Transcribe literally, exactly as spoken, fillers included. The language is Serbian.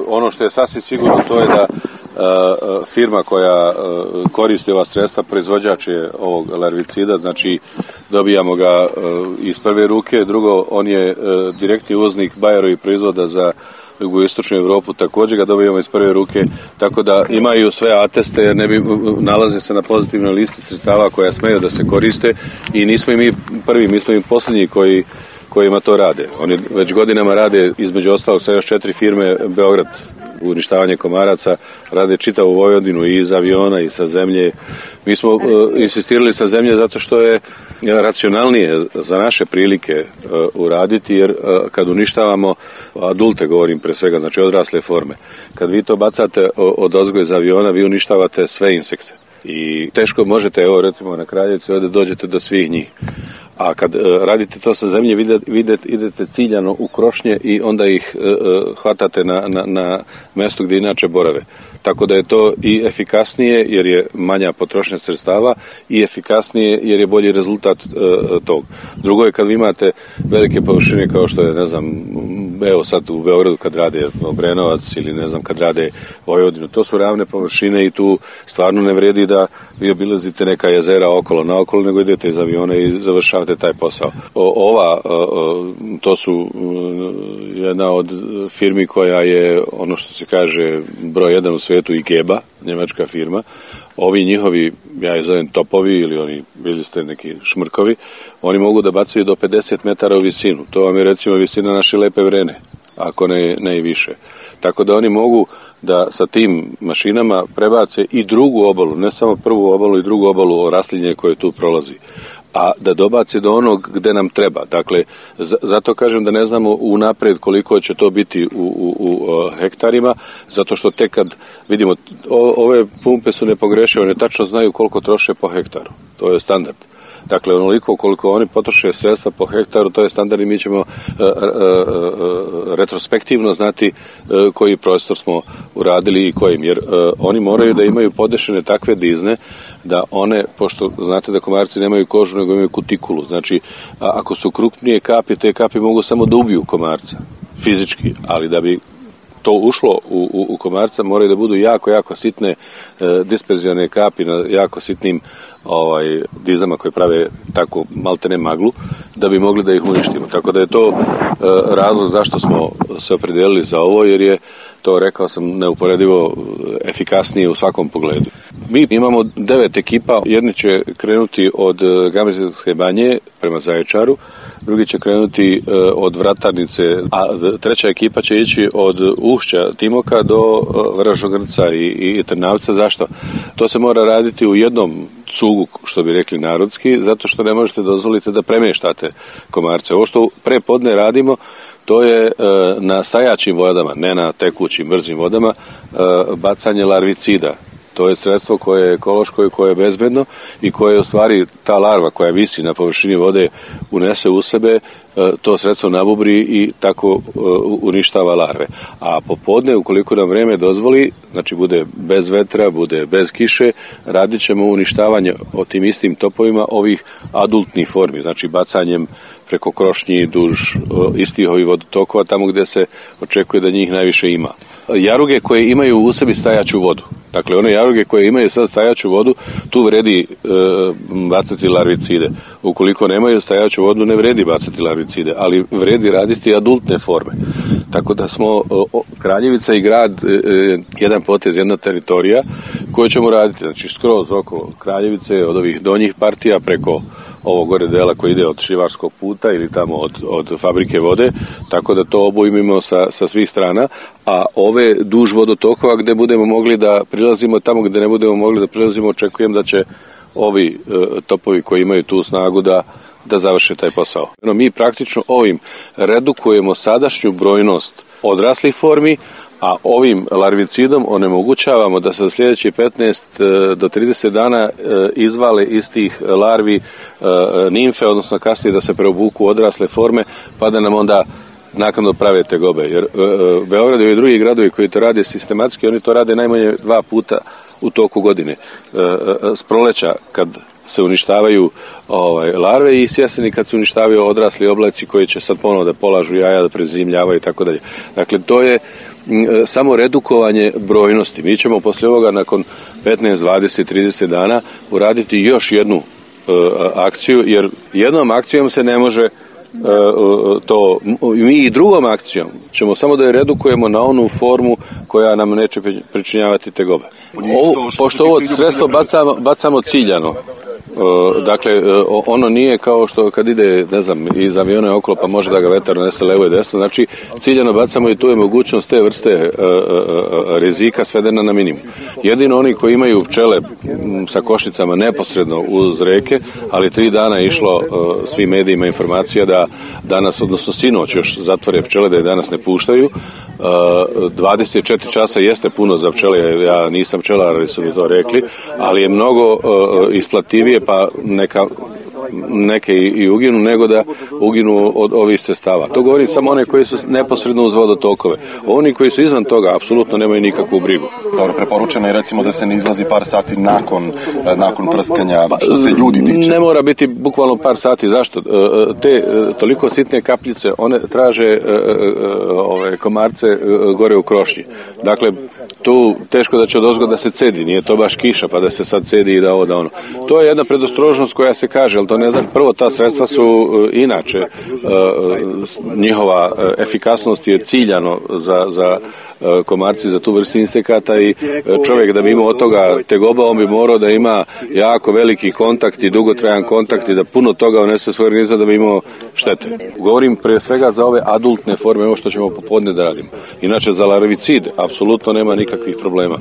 ono što je sasvim sigurno to je da firma koja koristi ova sredstva, proizvođač je ovog larvicida, znači dobijamo ga iz prve ruke. Drugo, on je direktni uvoznik Bayerovih proizvoda za jugoistočnu Europu, također ga dobijamo iz prve ruke, tako da imaju sve ateste, jer ne bi nalaze se na pozitivnoj listi sredstava koja smeju da se koriste i nismo i mi prvi, mi smo i posljednji koji kojima to rade. Oni već godinama rade, između ostalog sa još četiri firme, Beograd, uništavanje komaraca, rade čitavu Vojvodinu i iz aviona i sa zemlje. Mi smo uh, insistirali sa zemlje zato što je racionalnije za naše prilike uh, uraditi, jer uh, kad uništavamo adulte, govorim pre svega, znači odrasle forme, kad vi to bacate od ozgo iz aviona, vi uništavate sve insekte. I teško možete, evo recimo na Kraljevici, ovdje dođete do svih njih. A kad uh, radite to sa zemlje, vidite, vidite, idete ciljano u krošnje i onda ih uh, hvatate na, na, na mjestu gdje inače borave. Tako da je to i efikasnije jer je manja potrošnja sredstava i efikasnije jer je bolji rezultat uh, tog. Drugo je kad vi imate velike površine kao što je, ne znam, evo sad u Beogradu kad rade Obrenovac ili ne znam kad rade Vojvodinu, to su ravne površine i tu stvarno ne vredi da vi obilazite neka jezera okolo naokolo, nego idete iz aviona i završavate taj posao. O, ova, o, to su jedna od firmi koja je, ono što se kaže, broj jedan u svijetu, Ikeba, njemačka firma. Ovi njihovi, ja ih zovem topovi ili oni, bili ste neki šmrkovi, oni mogu da bacaju do pedeset metara u visinu. To vam je recimo visina naše Lepe Vrene, ako ne, ne i više. Tako da oni mogu da sa tim mašinama prebace i drugu obalu, ne samo prvu obalu i drugu obalu o raslinje koje tu prolazi, a da dobaci do onog gde nam treba. Dakle, zato kažem da ne znamo unapred koliko će to biti u, u, u hektarima, zato što tek kad vidimo, o, ove pumpe su nepogrešive, one tačno znaju koliko troše po hektaru. To je standard. Dakle, onoliko koliko oni potroše sredstva po hektaru, to je standard i mi ćemo uh, uh, uh, retrospektivno znati uh, koji prostor smo uradili i kojim, jer uh, oni moraju da imaju podešene takve dizne da one, pošto znate da komarci nemaju kožu nego imaju kutikulu, znači a, ako su krupnije kapi, te kapi mogu samo da ubiju komarca, fizički, ali da bi to ušlo u, u, u komarca moraju da budu jako, jako sitne e, disperzijone kapi na jako sitnim ovaj, dizama koje prave tako maltene maglu da bi mogli da ih uništimo. Tako da je to e, razlog zašto smo se opredelili za ovo, jer je to, rekao sam, neuporedivo efikasnije u svakom pogledu. Mi imamo devet ekipa, jedni će krenuti od Gamizilske banje prema Zaječaru, drugi će krenuti uh, od Vratarnice, a treća ekipa će ići od Ušća Timoka do uh, Vražogrca i, i Trnavca. Zašto? To se mora raditi u jednom cugu, što bi rekli narodski, zato što ne možete dozvoliti da premještate komarce. Ovo što pre podne radimo, to je uh, na stajaćim vodama, ne na tekućim, brzim vodama, uh, bacanje larvicida. To je sredstvo koje je ekološko i koje je bezbedno i koje u stvari ta larva koja visi na površini vode unese u sebe, to sredstvo nabubri i tako uništava larve. A popodne, ukoliko nam vreme dozvoli, znači bude bez vetra, bude bez kiše, radit ćemo uništavanje o tim istim topovima ovih adultnih formi, znači bacanjem preko krošnji duž istih ovih vodotokova, tamo gde se očekuje da njih najviše ima. Jaruge koje imaju u sebi stajaću vodu, dakle one jaruge koje imaju sad stajaću vodu, tu vredi e, bacati larvicide. Ukoliko nemaju stajaću vodu, ne vredi bacati larvicide, ali vredi raditi adultne forme. Tako da smo o, Kraljevica i grad e, jedan potez, jedna teritorija koju ćemo raditi, znači skroz oko Kraljevice, od ovih donjih partija preko ovog gore dela koji ide od Šivarskog puta ili tamo od, od fabrike vode, tako da to obojmimo sa, sa svih strana, a ove duž vodotokova gde budemo mogli da prilazimo, tamo gde ne budemo mogli da prilazimo, očekujem da će ovi e, topovi koji imaju tu snagu da da završe taj posao. No, mi praktično ovim redukujemo sadašnju brojnost odraslih formi, a ovim larvicidom onemogućavamo da se za sljedeći petnaest do trideset dana izvale iz tih larvi nimfe, odnosno kasnije da se preobuku u odrasle forme, pa da nam onda naknadno prave tegobe. Jer Beograd i drugi gradovi koji to rade sistematski, oni to rade najmanje dva puta u toku godine. S proleća kad se uništavaju ovaj, larve i s jeseni kad se uništavaju odrasli oblaci koji će sad ponovo da polažu jaja, da prezimljavaju i tako dalje. Dakle, to je samo redukovanje brojnosti. Mi ćemo poslije ovoga nakon petnaest, dvadeset, trideset dana uraditi još jednu akciju, jer jednom akcijom se ne može to, mi i drugom akcijom ćemo samo da je redukujemo na onu formu koja nam neće pričinjavati tegobe. Ovo, pošto ovo sredstvo bacamo, bacamo ciljano, dakle ono nije kao što kad ide, ne znam, iz aviona okolo pa može da ga vetar nese levo i desno, znači ciljano bacamo i tu je mogućnost te vrste rizika svedena na minimum. Jedino oni koji imaju pčele sa košnicama neposredno uz reke, ali tri dana je išlo svim medijima informacija da danas, odnosno sinoć još zatvore pčele, da je danas ne puštaju. dvadeset četiri časa jeste puno za pčele, ja nisam pčelar, ali su mi to rekli, ali je mnogo isplativije pa neka neke i uginu, nego da uginu od ovih sredstava. To govorim samo one koji su neposredno uz vodotokove. Oni koji su izvan toga apsolutno nemaju nikakvu brigu. Dobro, preporučeno je recimo da se ne izlazi par sati nakon, nakon prskanja, što se ljudi tiče. Ne mora biti bukvalno par sati. Zašto? Te toliko sitne kapljice, one traže ove komarce gore u krošnji. Dakle, tu teško da će odozgo da se cedi, nije to baš kiša pa da se sad cedi i da ovo da ono. To je jedna predostrožnost koja se kaže, ali to ne znam, prvo ta sredstva su uh, inače uh, njihova uh, efikasnost je ciljano za, za uh, komarci, za tu vrstu insekata i uh, čovjek da bi imao od toga tegoba, on bi morao da ima jako veliki kontakt i dugotrajan kontakt i da puno toga unese svoj organizam da bi imao štete. Govorim pre svega za ove adultne forme, ovo što ćemo popodne da radimo. Inače za larvicid apsolutno nema nikakvih problema.